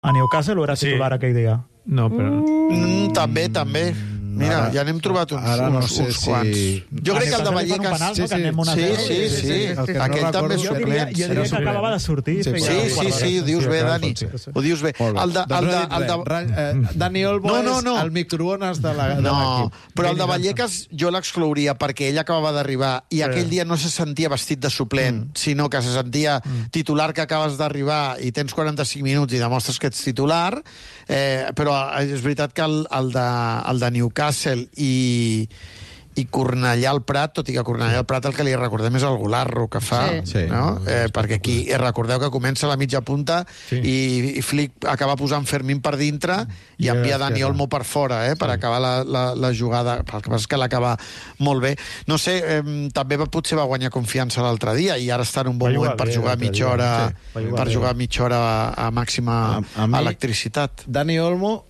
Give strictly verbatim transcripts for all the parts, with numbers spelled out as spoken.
A Newcastle o era titular sí. aquell dia? No, però... Mm, també, també. Mira, ara, ja n'hem trobat uns, ara no uns, sé uns si... quants. Jo crec que el de Vallecas... Penal, sí, no? sí, una sí, sí, sí, sí, sí. El que Aquell no també és jo diria, suplent. jo diria que acabava de sortir. Sí, sí, sí, sí, ho dius bé, Dani. Ho dius bé. El de, el de, el de... Dani Olmo no, no, no. és el microones de l'equip. No, però el de Vallecas jo l'exclouria perquè ell acabava d'arribar i aquell dia no se sentia vestit de suplent, sinó que se sentia titular que acabes d'arribar i tens quaranta-cinc minuts i demostres que ets titular, però és veritat que el de Newcastle i i Cornellà al Prat, tot i que Cornellà al Prat el que li recordem és el golarro que fa, sí. no? Eh, perquè aquí eh, recordeu que comença a la mitja punta sí. i, i Flick acaba posant Fermín per dintre i, i envia Dani Olmo per fora, eh, sí. per acabar la, la, la jugada. El que passa és que l'acaba molt bé. No sé, eh, també va, potser va guanyar confiança l'altre dia i ara està en un bon moment per jugar mitja hora, sí. per jugar mitja hora a, a màxima a, a mi, electricitat. Dani Olmo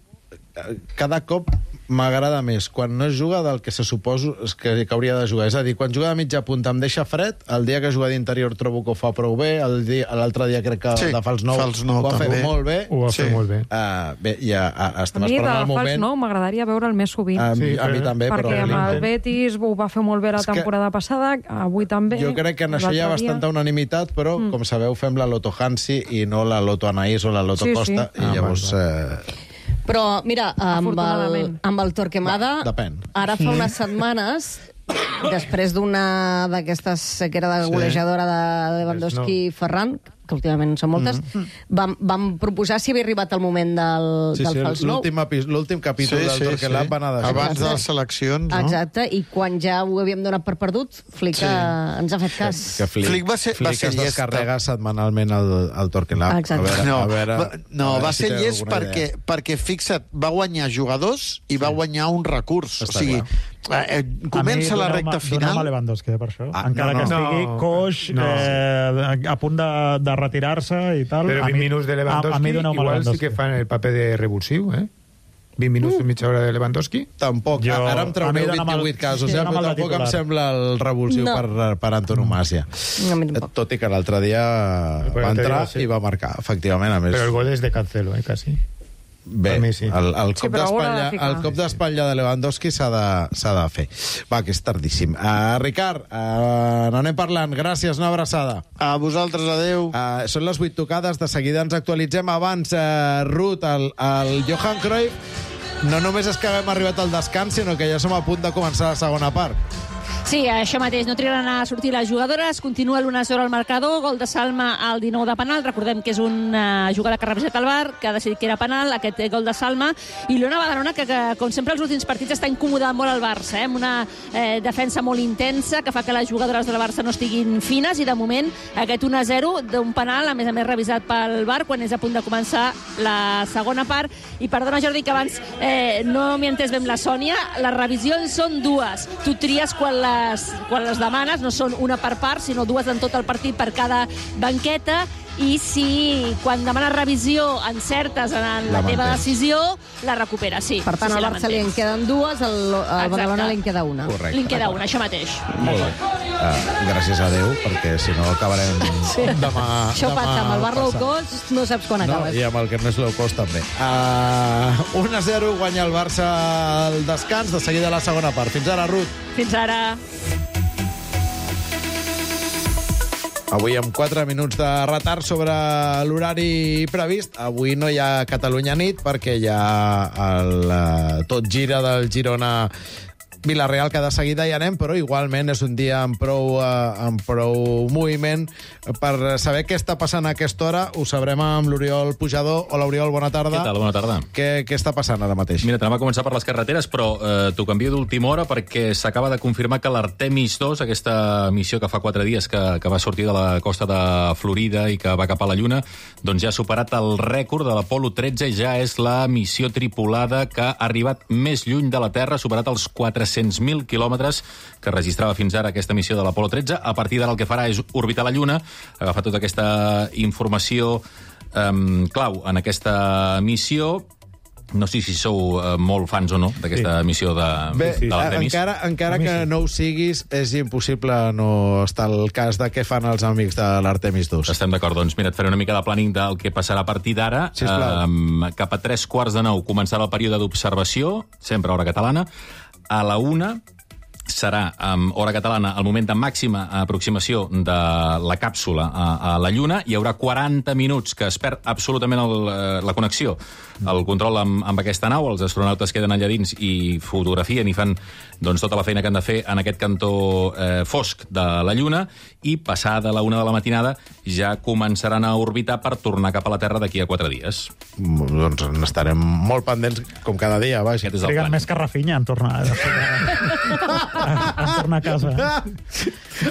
cada cop m'agrada més quan no juga del que se suposa que, que hauria de jugar. És a dir, quan juga de mitja punta em deixa fred, el dia que juga d'interior trobo que ho fa prou bé, l'altre dia crec que sí, de fals nou, fals nou ho va fer molt bé. Ho va sí. fer molt bé. Uh, bé ja, uh, estem a mi esperant el moment... fals nou m'agradaria veure'l més sovint. A, sí, a mi també, perquè però... amb el Betis ho va fer molt bé la temporada passada, avui també. Jo crec que en això hi ha bastanta unanimitat, però, mm. com sabeu, fem la Loto Hansi i no la Loto Anaïs o la Loto sí, Costa, sí. i ah, llavors... Eh... Però, mira, amb el, amb el Torquemada, Depèn. ara fa unes setmanes, després d'una d'aquestes sequera de golejadora de Lewandowski i Ferran, que últimament són moltes, mm. vam, vam proposar si havia arribat el moment del, sí, del sí, fals nou. L'últim capítol sí, del sí, Torquelab sí. va anar d'això. Abans de les seleccions, no? Exacte, i quan ja ho havíem donat per perdut, Flick sí. ens ha fet cas. Que Flick, Flick va ser, Flick va ser es llest. descarrega setmanalment el, el Torquelab. Exacte. A veure, no, a veure, va, no a veure va si ser llest perquè, perquè, fixa't, va guanyar jugadors i sí. va guanyar un recurs. Està o sigui, eh, comença la recta final... A Lewandowski, per això. Ah, Encara no, no. que estigui no, coix, no. eh, a punt de, de retirar-se i tal... Però vint minuts de Lewandowski, a, a igual Lewandowski. Sí que fan el paper de revulsiu, eh? vint minuts uh. i mitja hora de Lewandowski? Tampoc. Jo, ara em traureu vint-i-vuit el, casos, sí, eh? Però tampoc em sembla el revulsiu no. per, per antonomàsia. No, tot i que l'altre dia va entrar i va marcar, efectivament. A més. Però el gol és de Cancelo, eh, quasi. Bé, mi, sí. el, el cop sí, d'espatlla de el cop d'espatlla de Lewandowski s'ha de, s'ha de fer. Va, que és tardíssim. Uh, Ricard, uh, n'anem parlant. Gràcies, una abraçada. A vosaltres, adeu. Uh, són les vuit tocades, de seguida ens actualitzem. Abans, uh, Ruth, el, el Johan Cruyff, no només és que haguem arribat al descans, sinó que ja som a punt de començar la segona part. Sí, això mateix, no trigaran a sortir les jugadores, continua l'una zero al marcador, gol de Salma al dinou de penal, recordem que és una jugada que ha revisat el V A R, que ha decidit que era penal, aquest gol de Salma, i l'Ona Badalona, que, que com sempre els últims partits està incomodant molt el Barça, eh? amb una eh, defensa molt intensa, que fa que les jugadores del Barça no estiguin fines, i de moment aquest un a zero d'un penal, a més a més revisat pel V A R, quan és a punt de començar la segona part, i perdona Jordi, que abans eh, no m'hi he entès ben la Sònia, les revisions són dues, tu tries quan la Les, quan les demanes, no són una per part, sinó dues en tot el partit per cada banqueta, i si quan demanes revisió encertes en la, la teva decisió, la recupera, sí. Per tant, sí, sí, al Barça li en queden dues, al, al Badalona li en queda una. Correcte. Li en queda una, això mateix. Molt bé. Uh, gràcies a Déu, perquè si no acabarem sí. demà... Això demà passa, amb el bar low cost no saps quan no, acabes. I amb el que no és low cost també. Uh, un a zero guanya el Barça al descans, de seguida la segona part. Fins ara, Ruth. Fins ara. Avui amb quatre minuts de retard sobre l'horari previst. Avui no hi ha Catalunya nit perquè hi ha el uh, tot gira del Girona Vila-real, que de seguida hi anem, però igualment és un dia amb prou, uh, amb prou moviment. Per saber què està passant a aquesta hora, ho sabrem amb l'Oriol Pujador. Hola, Oriol, bona tarda. Què tal? Bona tarda. Què, què està passant ara mateix? Mira, anem a començar per les carreteres, però eh, t'ho canvio d'última hora perquè s'acaba de confirmar que l'Artemis dos, aquesta missió que fa quatre dies que, que va sortir de la costa de Florida i que va cap a la Lluna, doncs ja ha superat el rècord de l'Apolo tretze i ja és la missió tripulada que ha arribat més lluny de la Terra, ha superat els quatre-cents mil quilòmetres que registrava fins ara aquesta missió de l'Apolo tretze. A partir d'ara el que farà és orbitar la Lluna, agafar tota aquesta informació um, clau en aquesta missió No sé si sou uh, molt fans o no d'aquesta sí. missió de, Bé, de l'Artemis. Encara, encara que sí. no ho siguis, és impossible no estar al cas de què fan els amics de l'Artemis dos. Estem d'acord, doncs mira, et faré una mica de planning del que passarà a partir d'ara. Um, cap a tres quarts de nou començarà el període d'observació, sempre a hora catalana. A la una serà, amb hora catalana, el moment de màxima aproximació de la càpsula a, a la Lluna. Hi haurà quaranta minuts que es perd absolutament el, la connexió, el control amb, amb aquesta nau. Els astronautes queden allà dins i fotografien i fan doncs, tota la feina que han de fer en aquest cantó eh, fosc de la Lluna, i passada la una de la matinada ja començaran a orbitar per tornar cap a la Terra d'aquí a quatre dies. Doncs n'estarem molt pendents, com cada dia, vaja. Triguen més que Rafinha en tornar, en tornar a casa.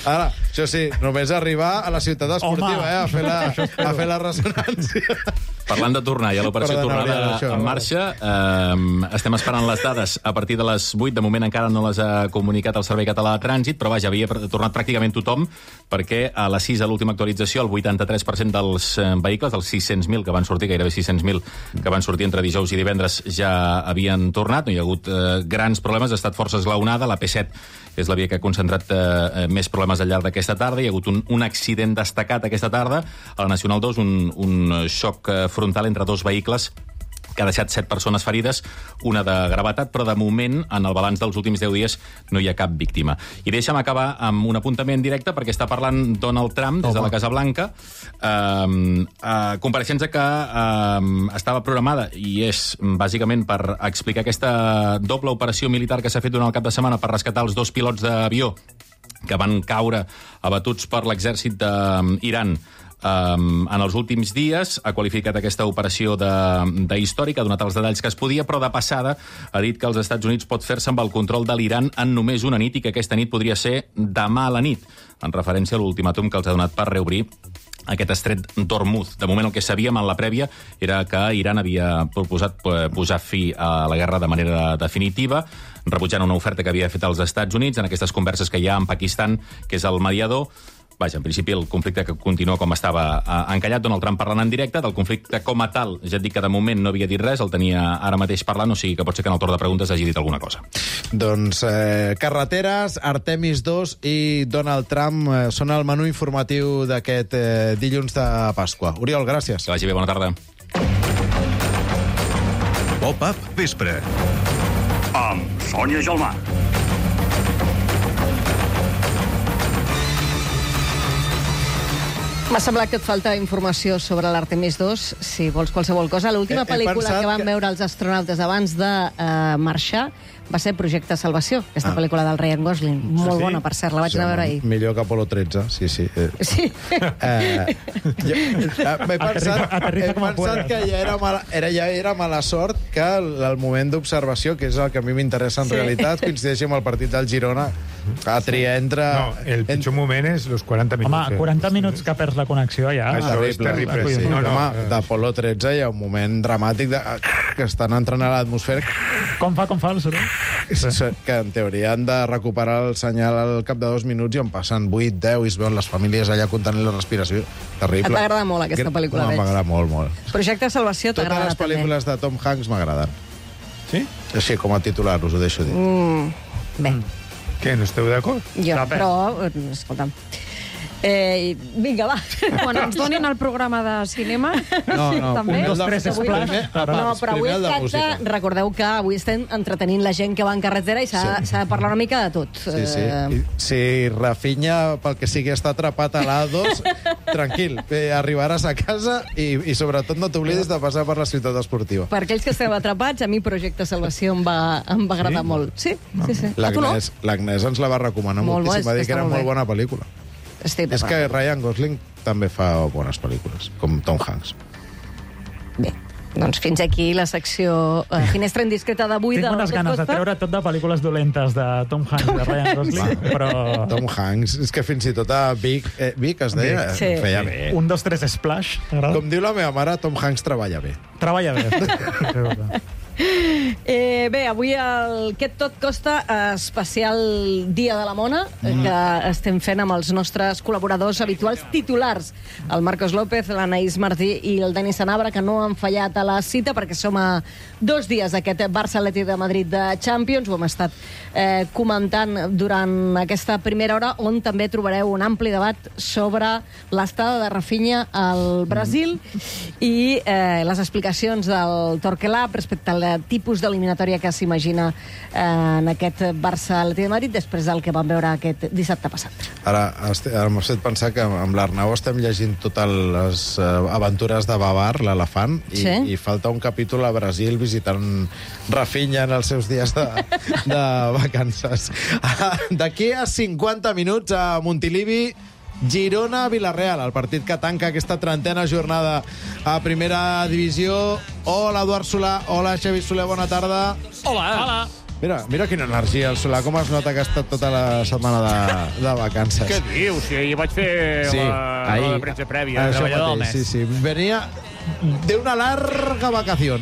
Ara, això sí, només arribar a la ciutat esportiva, eh, a fer la, a fer la ressonància. Parlant de tornar, ja l'operació tornada en marxa. Eh, estem esperant les dades a partir de les vuit. De moment encara no les ha comunicat el Servei Català de Trànsit, però vaja, havia tornat pràcticament tothom, perquè a les sis, a l'última actualització, el vuitanta-tres per cent dels vehicles, dels sis-cents mil que van sortir, gairebé sis-cents mil que van sortir entre dijous i divendres, ja havien tornat. No hi ha hagut eh, grans problemes, ha estat força esglaonada. La P set és la via que ha concentrat eh, més problemes al llarg d'aquesta tarda. Hi ha hagut un, un accident destacat aquesta tarda a la Nacional dos, un, un xoc eh, frontal entre dos vehicles que ha deixat set persones ferides, una de gravetat, però de moment, en el balanç dels últims deu dies, no hi ha cap víctima. I deixa'm acabar amb un apuntament directe, perquè està parlant Donald Trump des de la Casa Blanca, eh, eh, compareixença que eh, estava programada, i és bàsicament per explicar aquesta doble operació militar que s'ha fet durant el cap de setmana per rescatar els dos pilots d'avió que van caure abatuts per l'exèrcit d'Iran Um, en els últims dies. Ha qualificat aquesta operació d'històrica, ha donat els detalls que es podia, però de passada ha dit que els Estats Units pot fer-se amb el control de l'Iran en només una nit, i que aquesta nit podria ser demà a la nit, en referència a l'ultimàtum que els ha donat per reobrir aquest estret d'Hormuz. De moment el que sabíem en la prèvia era que Iran havia proposat posar fi a la guerra de manera definitiva, rebutjant una oferta que havia fet als Estats Units en aquestes converses que hi ha amb Pakistan, que és el mediador. Vaja, en principi el conflicte que continua com estava eh, encallat. Donald Trump parlant en directe del conflicte com a tal. Ja et dic que de moment no havia dit res, el tenia ara mateix parlant, o sigui que pot ser que en el torn de preguntes hagi dit alguna cosa. Doncs eh, carreteres, Artemis dos i Donald Trump eh, són el menú informatiu d'aquest eh, dilluns de Pasqua. Oriol, gràcies. Que vagi bé, bona tarda. Pop-up vespre amb Sònia Gelmà. M'ha semblat que et falta informació sobre l'Artemis dos, si vols qualsevol cosa. L'última pel·lícula que van que... veure els astronautes abans de uh, marxar va ser Projecte Salvació, aquesta ah. pel·lícula del Ryan Gosling. Molt sí? bona, per cert, la vaig sí, anar a veure ahir. Millor que Apolo tretze, sí, sí. Eh. Sí. Eh, jo, eh, M'he pensat, he pensat que ja era, mala, era, ja era mala sort que el, el moment d'observació, que és el que a mi m'interessa en sí. realitat, coincideixi amb el partit del Girona, a triar entre... No, el pitjor en... moment és els quaranta minuts. Home, quaranta minuts que perds la connexió ja... Això terrible, és terrible, sí. No, no, Home, d'Apolo tretze hi ha un moment dramàtic de, que estan entrant a l'atmosfera. Com fa, com fa el soroll? Que en teoria han de recuperar el senyal al cap de dos minuts i en passen vuit, deu, i es veuen les famílies allà contenint la respiració. Terrible. Et va agradar molt aquesta pel·lícula, no, veig. M'agrada molt, molt. Projecte Salvació t'agrada també. Totes les pel·lícules de Tom Hanks m'agraden. Sí? Així, com a titular, us ho deixo dir. Mm, bé. Què, no esteu d'acord? Jo, però, escolta'm... Eh, vinga, va. Quan ens donin el programa de cinema, no, no, també. Un, dos, tres, esplash. No, però avui es tracta, recordeu que avui estem entretenint la gent que va en carretera i s'ha sí. de parlar una mica de tot. Sí, sí. I, si Rafinha, pel que sigui, està atrapat a l'A dos, tranquil, eh, arribaràs a casa i, i sobretot no t'oblidis de passar per la ciutat esportiva. Per aquells que esteu atrapats, a mi Projecte Salvació em va, em va agradar sí? molt. Sí, sí, sí. L'Agnès no? ens la va recomanar molt moltíssim, va dir que era molt bona pel·lícula. Estic és que Ryan Gosling també fa bones pel·lícules, com Tom Hanks. Bé, doncs fins aquí la secció uh, Finestra Indiscreta d'avui. Tinc unes ganes de treure tot de pel·lícules dolentes de Tom Hanks i de Ryan Gosling, però... Tom Hanks, és que fins i tot a Vic, eh, Vic es deia, sí. feia bé. Un, dos, tres, splash. Com diu la meva mare, Tom Hanks treballa bé. Treballa bé. Eh, bé, avui el Què tot costa especial Dia de la Mona, mm. que estem fent amb els nostres col·laboradors habituals titulars, el Marcos López, l'Anaïs Martí i el Denis Sanabra, que no han fallat a la cita perquè som a dos dies d'aquest Barça-Atlètic de Madrid de Champions. Ho hem estat eh, comentant durant aquesta primera hora, on també trobareu un ampli debat sobre l'estada de Rafinha al Brasil mm. i eh, les explicacions del Torquelab respecte al tipus d'eliminatòria que s'imagina eh, en aquest Barça-Atlètic de Madrid després del que vam veure aquest dissabte passat. Ara, m'ha fet pensar que amb l'Arnau estem llegint totes les uh, aventures de Babar, l'elefant, i, sí? i falta un capítol a Brasil visitant Rafinha en els seus dies de, de vacances. D'aquí a cinquanta minuts a Montilivi, Girona-Vilareal, el partit que tanca aquesta trentena jornada a primera divisió. Hola, Eduard Solà. Hola, Xavi Soler, bona tarda. Hola. Hola. Mira, mira quina energia, el Solà, com es nota que ha estat tota la setmana de, de vacances. Què dius? Si ahir vaig fer sí, la ahir, de premsa prèvia, això treballador del mateix, mes. sí, sí. Venia de una larga vacació.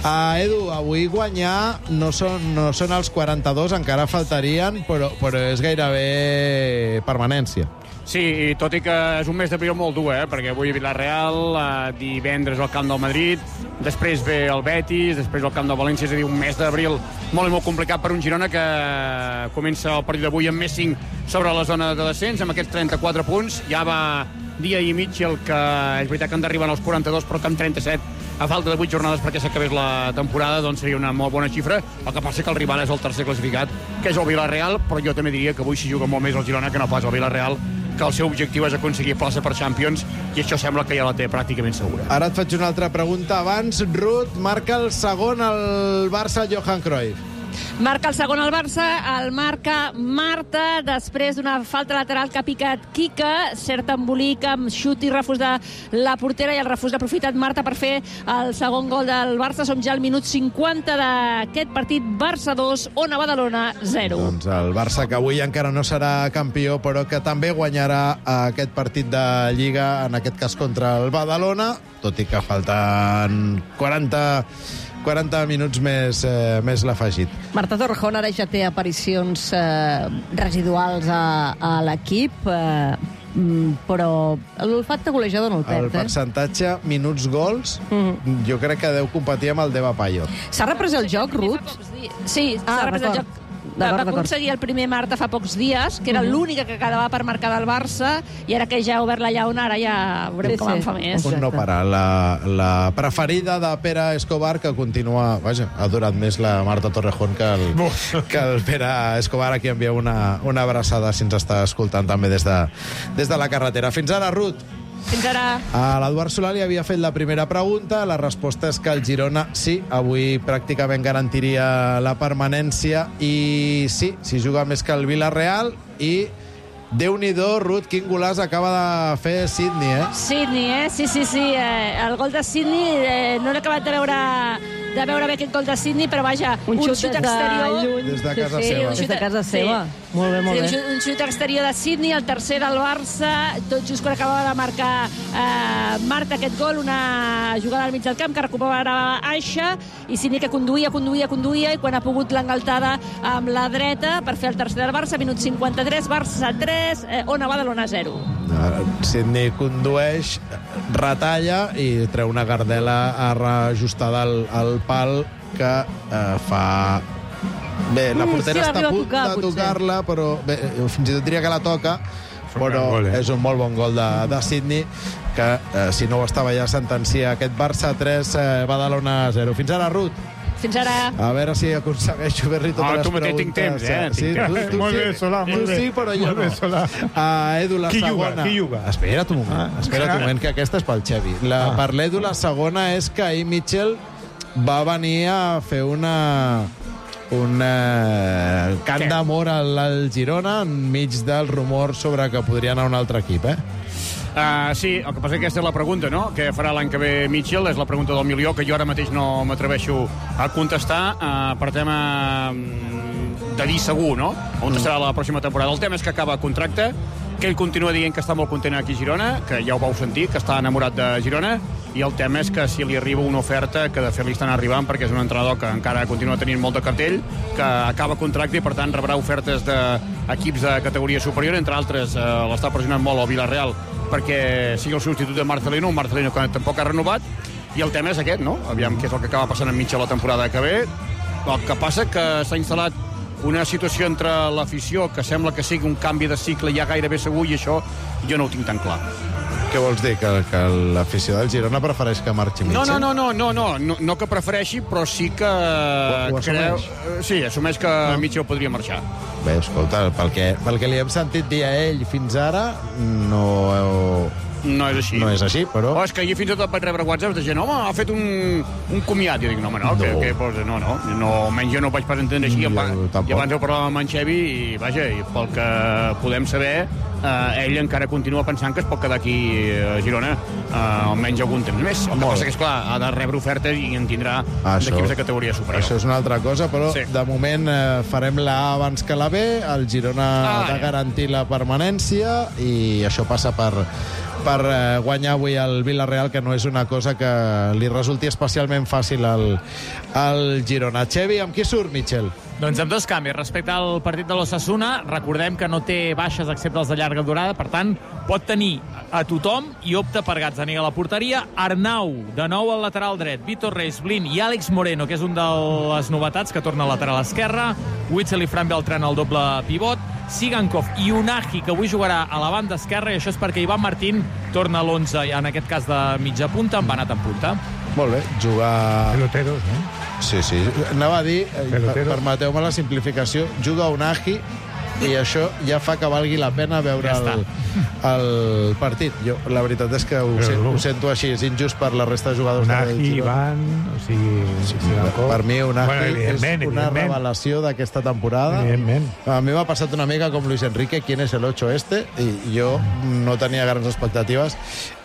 Uh, Edu, avui guanyar no són, no són els quaranta-dos, encara faltarien, però, però és gairebé permanència. Sí, i tot i que és un mes d'abril molt dur, eh? Perquè avui a Vilareal, eh, divendres al Camp del Madrid, després ve el Betis, després al Camp del València, és a dir, un mes d'abril molt i molt complicat per un Girona que comença el partit d'avui amb més cinc sobre la zona de descens, amb aquests trenta-quatre punts. Ja va dia i mig el que és veritat que han d'arribar als quaranta-dos, però que amb trenta-set, a falta de vuit jornades perquè s'acabés la temporada, doncs seria una molt bona xifra. El que passa que el rival és el tercer classificat, que és el Vilareal, però jo també diria que avui s'hi juga molt més el Girona que no pas el Vilareal, que el seu objectiu és aconseguir plaça per Champions, i això sembla que ja la té pràcticament segura. Ara et faig una altra pregunta abans. Ruth, marca el segon al Barça Johan Cruyff. Marca el segon al Barça, el marca Marta, després d'una falta lateral que ha picat Quique, cert embolic amb xut i refús de la portera, i el refús l'ha aprofitat Marta per fer el segon gol del Barça. Som ja al minut cinquanta d'aquest partit. Barça dos, Ona Badalona zero. Doncs el Barça, que avui encara no serà campió, però que també guanyarà aquest partit de Lliga, en aquest cas contra el Badalona, tot i que falten quaranta... quaranta minuts més, eh, més l'afegit. Marta Torrejón ara ja té aparicions eh, residuals a, a l'equip, eh, però l'olfacte golejador no el perd. El percentatge eh? minuts gols, mm. jo crec que deu competir amb el Deva Payo. S'ha reprès el joc, Ruth? Sí, s'ha ah, reprès el joc. Va aconseguir el primer Marta fa pocs dies, que era uh -huh. l'única que quedava per marcar del Barça, i ara que ja ha obert la llauna, ara ja veurem sí, com sí. en fa més. Un no parar. La, la preferida de Pere Escobar, que continua... Vaja, ha durat més la Marta Torrejón que el, que el Pere Escobar, a qui envia una, una abraçada si ens està escoltant també des de, des de la carretera. Fins ara, Ruth. Fins ara. A l'Eduard Solà li havia fet la primera pregunta. La resposta és que el Girona, sí, avui pràcticament garantiria la permanència, i sí, s'hi juga més que el Vilareal, i Déu-n'hi-do, Ruth, quin golaç acaba de fer Sidney, eh? Sidney, eh? Sí, sí, sí. Eh, el gol de Sidney, eh, no l'he acabat de veure de veure bé aquest gol de Sidney, però vaja, un, un xut, xut exterior... De des de casa sí, seva. Des de casa seva. Sí. Molt bé, molt sí, bé. Un xut exterior de Sidney, el tercer del Barça, tot just quan acabava de marcar eh, Marta aquest gol, una jugada al mig del camp que recuperava Aixa, i Sidney que conduïa, conduïa, conduïa, i quan ha pogut l'engaltada amb la dreta per fer el tercer del Barça, minut cinquanta-tres, Barça tres, eh, Ona Badalona zero. Sidney condueix, retalla i treu una gardela reajustada al, al pal que eh, fa... Bé, la portera mm, sí, està a punt tocar, de tocar-la, però bé, fins i tot diria que la toca, però gol, eh? És un molt bon gol de, de Sidney, que eh, si no ho estava ja sentencia aquest Barça tres, eh, Badalona zero. Fins ara, Ruth. Fins ara. A veure si aconsegueixo fer-li totes ah, les preguntes. Ah, tu tinc temps, eh? Sí, tu, tu, molt sí, bé, Solà, molt bé. Sí, però jo molt no. Bé, Solà. Uh, Edu, la qui segona... Juga, qui juga? Espera't un moment, ah, espera't un moment, que aquesta és pel Xevi. La, ah. Per l'Edu, la segona és que ahir Mitchell va venir a fer una... un eh, cant d'amor al, al Girona enmig del rumor sobre que podria anar a un altre equip, eh? Uh, sí, el que passa és que aquesta és la pregunta, no?, què farà l'any que ve Mitchell, és la pregunta del milió, que jo ara mateix no m'atreveixo a contestar, uh, per tema de dir segur, no?, on serà la pròxima temporada. El tema és que acaba contracte, que ell continua dient que està molt content aquí a Girona, que ja ho vau sentir, que està enamorat de Girona, i el tema és que si li arriba una oferta, que de fet li estan arribant, perquè és un entrenador que encara continua tenint molt de cartell, que acaba contracte i per tant rebrà ofertes d'equips de categoria superior, entre altres eh, l'està pressionant molt el Villarreal perquè sigui el substitut de Marcelino, un Marcelino que tampoc ha renovat, i el tema és aquest, no? Aviam què és el que acaba passant enmig de la temporada que ve. El que passa que s'ha instal·lat una situació entre l'afició que sembla que sigui un canvi de cicle ja gairebé segur, i això jo no ho tinc tan clar. Què vols dir? Que, que l'afició del Girona prefereix que marxi Mitchell? No, no, no, no, no, no, no que prefereixi, però sí que... Ho, ho creu, sí, assumeix que no. Mitchell podria marxar. Bé, escolta, pel que, pel que li hem sentit dir a ell fins ara, no... No és així. No és així, però... Oh, és que jo fins i tot vaig rebre whatsapps de gent, home, ha fet un, un comiat. Jo dic, no, home, no, no. Que, que, pues, no, no, no, almenys jo no ho vaig pas entendre així. Jo, I abans ho parlàvem amb en Xevi i, vaja, i pel que podem saber, eh, ell encara continua pensant que es pot quedar aquí a Girona eh, almenys algun temps més. El que passa que, esclar, ha de rebre ofertes i en tindrà d'equips de categoria superior. Això és una altra cosa, però sí. De moment eh, farem la A abans que la B, el Girona ah, ha de garantir la permanència i això passa per... per eh, guanyar avui el Villarreal, que no és una cosa que li resulti especialment fàcil al, al Girona. Xevi, amb qui surt, Mitchell? Doncs amb dos canvis. Respecte al partit de l'Osasuna, recordem que no té baixes excepte els de llarga durada, per tant, pot tenir a tothom i opta per Gazzaniga a la porteria. Arnau, de nou al lateral dret, Vitor Reis, Blin i Àlex Moreno, que és un de les novetats, que torna al lateral esquerre, Witsel i Fran Beltrán al doble pivot, Sigankov i Unagi, que avui jugarà a la banda esquerra, i això és perquè Ivan Martín torna a l'onze, en aquest cas de mitja punta, amb anat en punta. Molt bé, jugar... Peloteros, no? Sí, sí. Anava a dir, per, permeteu-me la simplificació, juga Unagi i això ja fa que valgui la pena veure ja el, el partit. Jo, la veritat és que ho, sent, ho sento així, és injust per la resta de jugadors. Unagi, Ivan, o sigui... Sí, sí, per mi Unagi bueno, és una revelació d'aquesta temporada. A mi m'ha passat una mica com Luis Enrique, ¿quién es el ocho este? I jo no tenia grans expectatives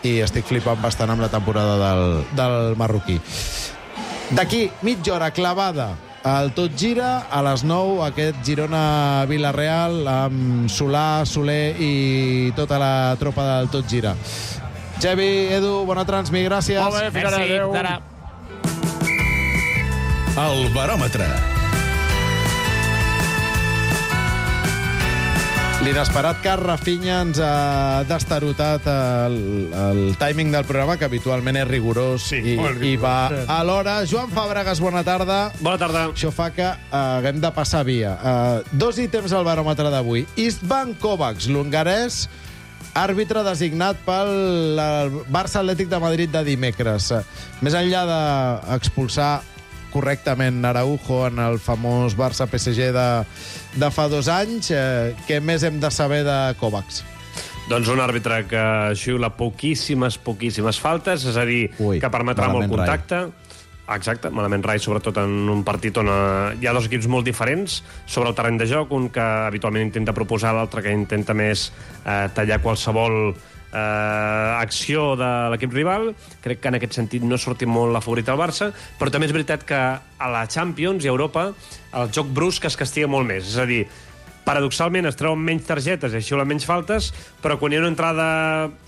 i estic flipant bastant amb la temporada del, del marroquí. D'aquí, mitja hora clavada el Tot Gira, a les nou, aquest Girona-Villarreal amb Solà, Soler i tota la tropa del Tot Gira. Xevi, Edu, bona transmi, gràcies. Molt bé, fins ara, adéu. El baròmetre. L'inesperat que Rafinha ens ha destarotat el, el timing del programa, que habitualment és rigorós, sí, i, rigorós, i va sí. a l'hora. Joan Fàbregas, bona tarda. Bona tarda. Això fa que uh, haguem de passar via. Uh, dos ítems al baròmetre d'avui. Istvan Kovacs, l'hongarès, àrbitre designat pel Barça Atlètic de Madrid de dimecres. Uh, més enllà d'expulsar correctament Araujo en el famós Barça-P S G de, de fa dos anys, eh, què més hem de saber de Kovacs? Doncs un àrbitre que xiula poquíssimes, poquíssimes faltes, és a dir, Ui, que permetrà molt contacte. Rai. Exacte, malament rai, sobretot en un partit on hi ha dos equips molt diferents sobre el terreny de joc, un que habitualment intenta proposar, l'altre que intenta més eh, tallar qualsevol eh, acció de l'equip rival. Crec que en aquest sentit no ha sortit molt la favorita al Barça, però també és veritat que a la Champions i a Europa el joc brusc es castiga molt més, és a dir, paradoxalment es treuen menys targetes i xiulen menys faltes, però quan hi ha una entrada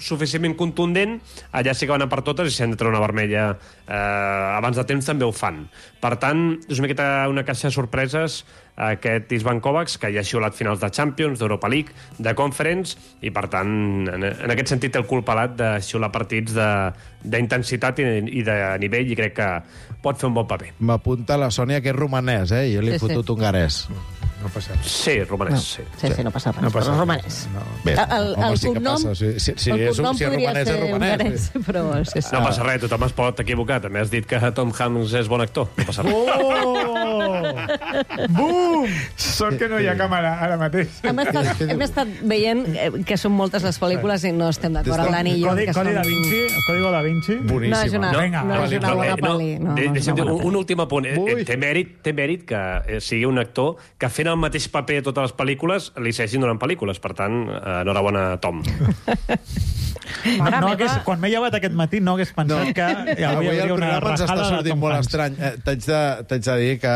suficientment contundent, allà sí que van a per totes, i si han de treure una vermella eh, abans de temps també ho fan. Per tant, és una miqueta una caixa de sorpreses aquest Istvan Kovacs, que ja ha xiulat finals de Champions, d'Europa League, de Conference, i per tant, en, en aquest sentit té el cul pelat de xiular partits d'intensitat i, i de nivell, i crec que pot fer un bon paper. M'apunta la Sònia que és romanès, eh? Jo li he sí, fotut sí. hongarès. No passa res. Sí, romanès, no. sí. Sí, sí, no passa res, no passa però romanès. No. Bé, el, el, home, el sí cognom, que si, si, si, el cognom si podria romanès, ser hongarès, però... Sí, sí. No passa res, tothom es pot equivocar. També has dit que Tom Hanks és bon actor. No passa res. Oh! Bum! Sort que no hi ha càmera ara mateix. Hem estat, hem estat veient que són moltes les pel·lícules i no estem d'acord amb l'Ani i jo. Codi, Codi da Vinci, el Código da Vinci. Boníssima. No és una, no, no és una bona pel·li. No, no, deixa'm dir, un, un últim apunt. Ui. Té mèrit, té mèrit que sigui un actor que fent el mateix paper a totes les pel·lícules li segueixin donant pel·lícules. Per tant, enhorabona, Tom. No, no hagués, quan m'he llevat aquest matí no hagués pensat no. que hi hauria Avui una rajada de Tom molt Hanks. estrany. Eh, T'haig de, de dir que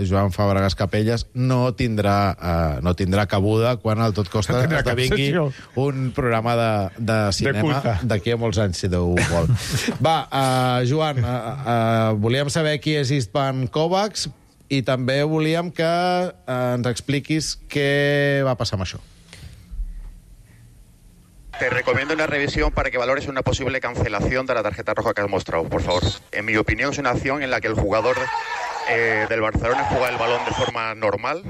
Joan Fàbregas Capella vermelles no tindrà, uh, no tindrà cabuda quan el Tot Costa no esdevingui un programa de, de cinema d'aquí a molts anys, si Déu vol. Va, uh, Joan, uh, uh, volíem saber qui és Istvan Kovacs i també volíem que uh, ens expliquis què va passar amb això. Te recomiendo una revisión para que valores una posible cancelación de la tarjeta roja que has mostrado, por favor. En mi opinión, es una acción en la que el jugador eh, del Barcelona juega el balón de forma normal,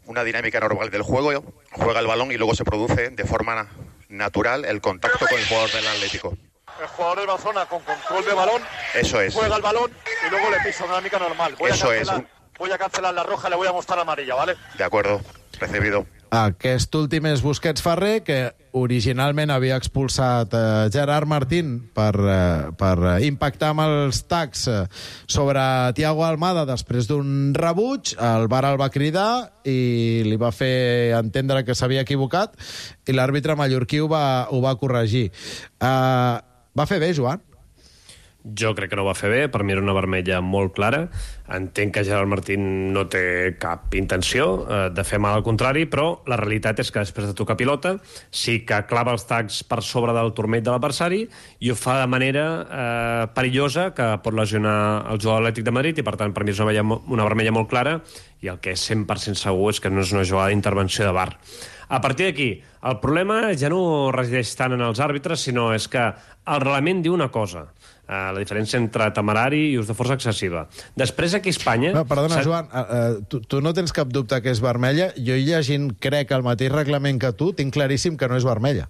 una dinámica normal del juego, juega el balón y luego se produce de forma natural el contacto con el jugador del Atlético. El jugador del Barcelona con control de balón, eso es, juega el balón y luego le pisa una dinámica normal. Voy eso a cancelar, es. Voy a cancelar la roja, le voy a mostrar amarilla, ¿vale? De acuerdo, recibido. Aquest últim és Busquets Ferrer, que originalment havia expulsat eh, Gerard Martín per, eh, per impactar amb els tacs eh, sobre Thiago Almada després d'un rebuig. El V A R el va cridar i li va fer entendre que s'havia equivocat i l'àrbitre mallorquí ho va, ho va corregir. Eh, va fer bé, Joan? Jo crec que no va fer bé, per mi era una vermella molt clara. Entenc que Gerard Martín no té cap intenció eh, de fer mal al contrari, però la realitat és que després de tocar pilota sí que clava els tacs per sobre del turmell de l'adversari i ho fa de manera eh, perillosa que pot lesionar el jugador Atlètic de Madrid i per tant per mi és una vermella, una vermella molt clara i el que és cent per cent segur és que no és una jugada d'intervenció de V A R. A partir d'aquí, el problema ja no resideix tant en els àrbitres, sinó és que el reglament diu una cosa, uh, la diferència entre temerari i ús de força excessiva. Després, aquí a Espanya... No, perdona, Joan, uh, tu, tu no tens cap dubte que és vermella. Jo llegint, crec, el mateix reglament que tu, tinc claríssim que no és vermella.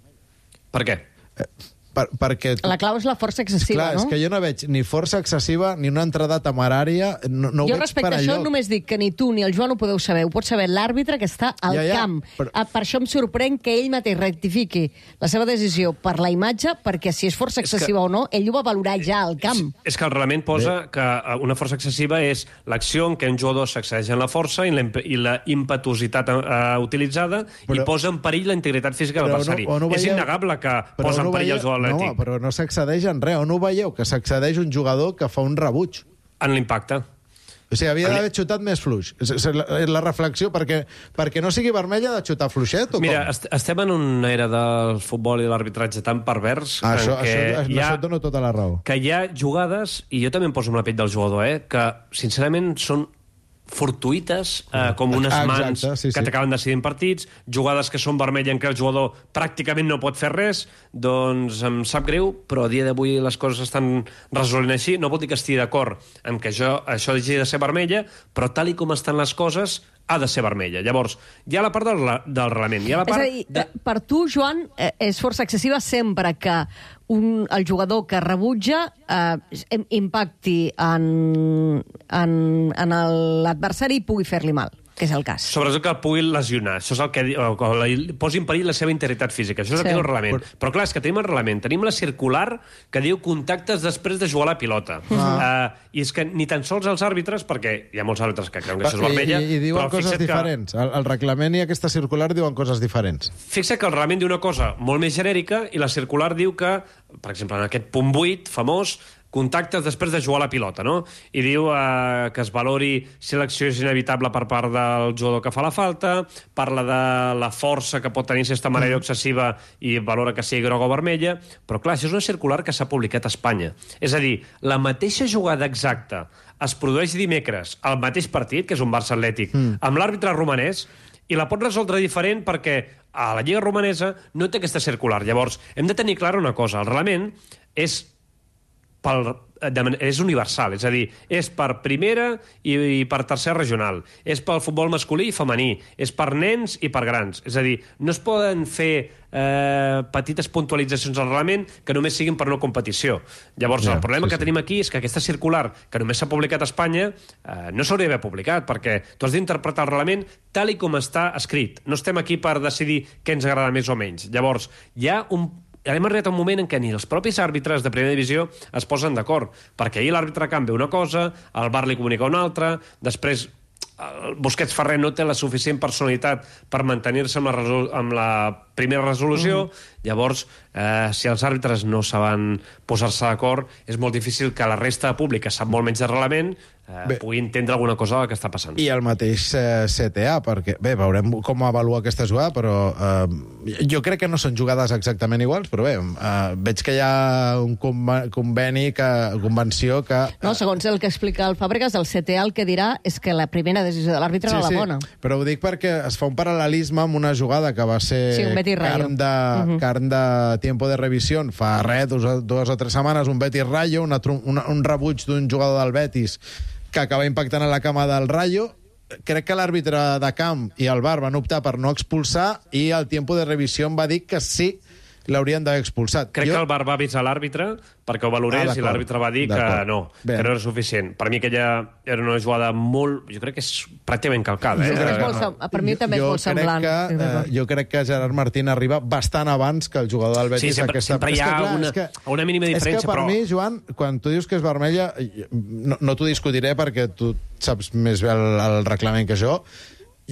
Per què? Uh, per, perquè... Tu... La clau és la força excessiva, Clar, no? és que jo no veig ni força excessiva ni una entrada temerària. No, no jo ho veig respecte per a això allò. només dic que ni tu ni el Joan ho podeu saber. Ho pot saber l'àrbitre que està al ja, ja, camp. però... Per això em sorprèn que ell mateix rectifiqui la seva decisió per la imatge, perquè si és força excessiva que... o no, ell ho va valorar ja al camp. És, és que el reglament posa Bé. que una força excessiva és l'acció en què un jugador s'excedeix en la força i la, i la impetuositat uh, utilitzada però... i posa en perill la integritat física de l'adversari. No, no és innegable que però posa no en perill veieu... el jugador atlètic. No, però no s'accedeix en res. On ho veieu? Que s'accedeix un jugador que fa un rebuig. En l'impacte. O sigui, havia d'haver xutat més fluix. És la, la reflexió, perquè, perquè no sigui vermella de xutar fluixet o Mira, com? Est estem en una era del futbol i l'arbitratge tan pervers ah, això, que això, hi ha, això et dono tota la raó. Que hi ha jugades, i jo també em poso amb la pell del jugador, eh, que sincerament són fortuïtes, eh, com unes ah, mans exacte, sí, que sí. t'acaben decidint partits, jugades que són vermelles en què el jugador pràcticament no pot fer res, doncs em sap greu, però a dia d'avui les coses estan resolent així. No vol dir que estigui d'acord amb que això, això hagi de ser vermella, però tal i com estan les coses, ha de ser vermella. Llavors, hi ha la part del, del reglament. Hi ha la part és a dir, de... per tu, Joan, eh, és força excessiva sempre que un, el jugador que rebutja eh, impacti en, en, en l'adversari i pugui fer-li mal, que és el cas. Sobretot que el pugui lesionar. Això és el que o, o, o, posi en perill la seva integritat física. Això és el sí. que diu el reglament. Però... però clar, és que tenim el reglament. Tenim la circular que diu contactes després de jugar la pilota. Ah. Uh, I és que ni tan sols els àrbitres, perquè hi ha molts àrbitres que creuen que això és vermella... I, i, i diuen coses diferents. Que... El, el reglament i aquesta circular diuen coses diferents. Fixa que el reglament diu una cosa molt més genèrica i la circular diu que, per exemple, en aquest punt vuit famós, contactes després de jugar la pilota, no? I diu eh, que es valori si l'acció és inevitable per part del jugador que fa la falta, parla de la força que pot tenir si està mareo excessiva i valora que sigui groga o vermella, però clar, això és una circular que s'ha publicat a Espanya. És a dir, la mateixa jugada exacta es produeix dimecres al mateix partit, que és un Barça Atlètic, mm. amb l'àrbitre romanès, i la pot resoldre diferent perquè a la Lliga Romanesa no té aquesta circular. Llavors, hem de tenir clara una cosa, el reglament és pel, és universal, és a dir, és per primera i, i per tercera regional, és pel futbol masculí i femení, és per nens i per grans. És a dir, no es poden fer eh, petites puntualitzacions al reglament que només siguin per una competició. Llavors, ja, el problema sí, que sí. tenim aquí és que aquesta circular, que només s'ha publicat a Espanya, eh, no s'hauria d'haver publicat, perquè tu has d'interpretar el reglament tal i com està escrit. No estem aquí per decidir què ens agrada més o menys. Llavors, hi ha un hem arribat a un moment en què ni els propis àrbitres de primera divisió es posen d'acord, perquè ahir l'àrbitre canvia una cosa, el V A R li comunica una altra, després el Busquets Ferrer no té la suficient personalitat per mantenir-se amb, amb la primera resolució, mm. llavors, eh, si els àrbitres no saben posar-se d'acord, és molt difícil que la resta de públic, que sap molt menys de reglament, eh, pugui entendre alguna cosa del que està passant. I el mateix eh, C T A, perquè, bé, veurem com avalua aquesta jugada, però eh, jo crec que no són jugades exactament iguals, però bé, eh, veig que hi ha un conveni, que, convenció que... Eh... No, segons el que explica el Fàbregas, el C T A el que dirà és que la primera decisió de l'àrbitre sí, era la sí, bona. Però ho dic perquè es fa un paral·lelisme amb una jugada que va ser sí, carn, de, uh -huh. carn de tiempo de revisió fa res, dues, dues o tres setmanes, un Betis Rayo, una, una, un rebuig d'un jugador del Betis que acaba impactant a la cama del Rayo. Crec que l'àrbitre de camp i el V A R van optar per no expulsar i el tiempo de revisió va dir que sí l'haurien d'haver expulsat. Crec jo... que el V A R va avisar l'àrbitre perquè ho valorés ah, i l'àrbitre va dir que no, Bé. que no era suficient. Per mi aquella era una jugada molt... Jo crec que és pràcticament calcada. Eh? Jo crec que és molt, per mi també és molt semblant. Que, eh, jo crec que Gerard Martín arriba bastant abans que el jugador del Betis. Sí, sempre, aquesta... sempre hi ha clar, una, que, una mínima diferència, és que per però... mi, Joan, quan tu dius que és vermella, no, no t'ho discutiré perquè tu saps més bé el, el reglament que jo.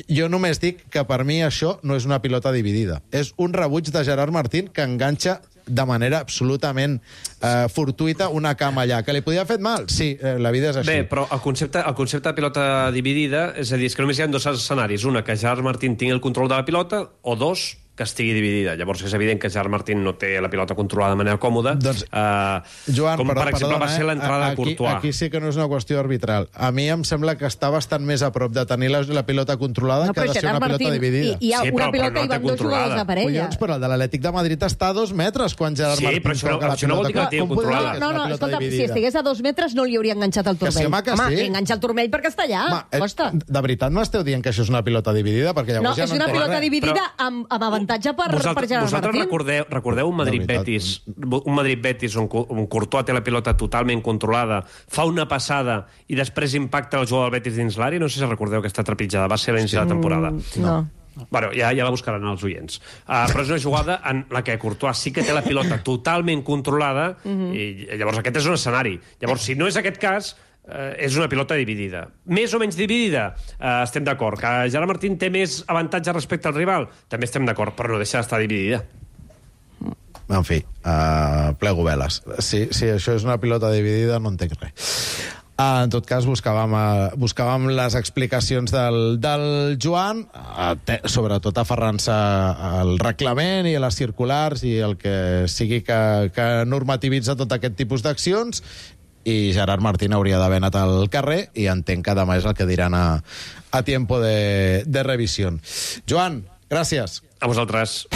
Jo només dic que per mi això no és una pilota dividida. És un rebuig de Gerard Martín que enganxa de manera absolutament eh, fortuita una cama allà. Que li podia haver fet mal? Sí, eh, la vida és així. Bé, però el concepte, el concepte de pilota dividida, és a dir, és que només hi ha dos escenaris. Una, que Gerard Martín tingui el control de la pilota, o dos, que estigui dividida. Llavors és evident que Gerard Martín no té la pilota controlada de manera còmoda, doncs, uh, Joan, com perdó, per exemple perdona, va ser l'entrada de Courtois. Aquí sí que no és una qüestió arbitral. A mi em sembla que està bastant més a prop de tenir la, la pilota controlada no, que de ser una Martín, pilota dividida. Hi, hi ha sí, una però, pilota però no i van dos jugadors de parella. Collons, però el de l'Atlètic de Madrid està a dos metres quan Gerard sí, Martín però això, toca la això no vol dir que la tingui controlada. No, no, no escolta, si estigués a dos metres no li hauria enganxat el turmell. Sí, home, que home sí. enganxa el turmell perquè està allà. Home, costa. De veritat m'esteu dient que això és una pilota dividida? Perquè llavors no, ja és no una pilota res. dividida amb, amb avantatge per, per Gerard Martín. Recordeu, recordeu un Madrid-Betis un Madrid-Betis on, on Courtois té la pilota totalment controlada, fa una passada i després impacta el jugador del Betis dins l'àrea? No sé si recordeu aquesta trepitjada, va ser a l'inici de la temporada. Mm, no. Bueno, ja, ja la buscaran els oients. Uh, però és una jugada en la que Courtois sí que té la pilota totalment controlada mm-hmm. i llavors aquest és un escenari. Llavors, si no és aquest cas, Uh, és una pilota dividida. Més o menys dividida? Uh, estem d'acord. Que Gerard Martín té més avantatge respecte al rival? També estem d'acord, però no deixa d'estar dividida. En fi, uh, plego veles. Si, si això és una pilota dividida, no entenc res. Uh, en tot cas, buscàvem, uh, buscàvem les explicacions del, del Joan, uh, te, sobretot aferrant-se al reglament i a les circulars i el que sigui que, que normativitza tot aquest tipus d'accions, i Gerard Martín hauria d'haver anat al carrer i entenc que demà és el que diran a, a tiempo de, de revisió. Joan, gràcies. A vosaltres.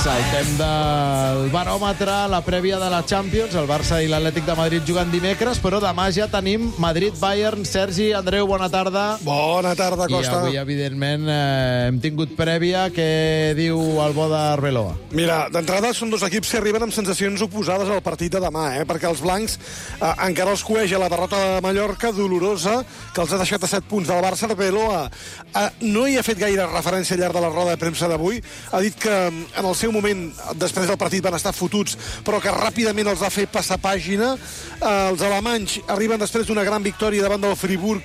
Saltem del baròmetre, la prèvia de la Champions, el Barça i l'Atlètic de Madrid jugant dimecres, però demà ja tenim Madrid-Bayern. Sergi, Andreu, bona tarda. Bona tarda, Costa. I avui, evidentment, eh, hem tingut prèvia. Què diu el bo d'Arbeloa? Mira, d'entrada són dos equips que arriben amb sensacions oposades al partit de demà, eh? perquè els blancs eh, encara els coeja la derrota de Mallorca, dolorosa, que els ha deixat a set punts del Barça. Arbeloa eh, no hi ha fet gaire referència al llarg de la roda de premsa d'avui. Ha dit que en el seu moment, després del partit, van estar fotuts, però que ràpidament els va fer passar pàgina. Eh, els alemanys arriben després d'una gran victòria davant del Friburg.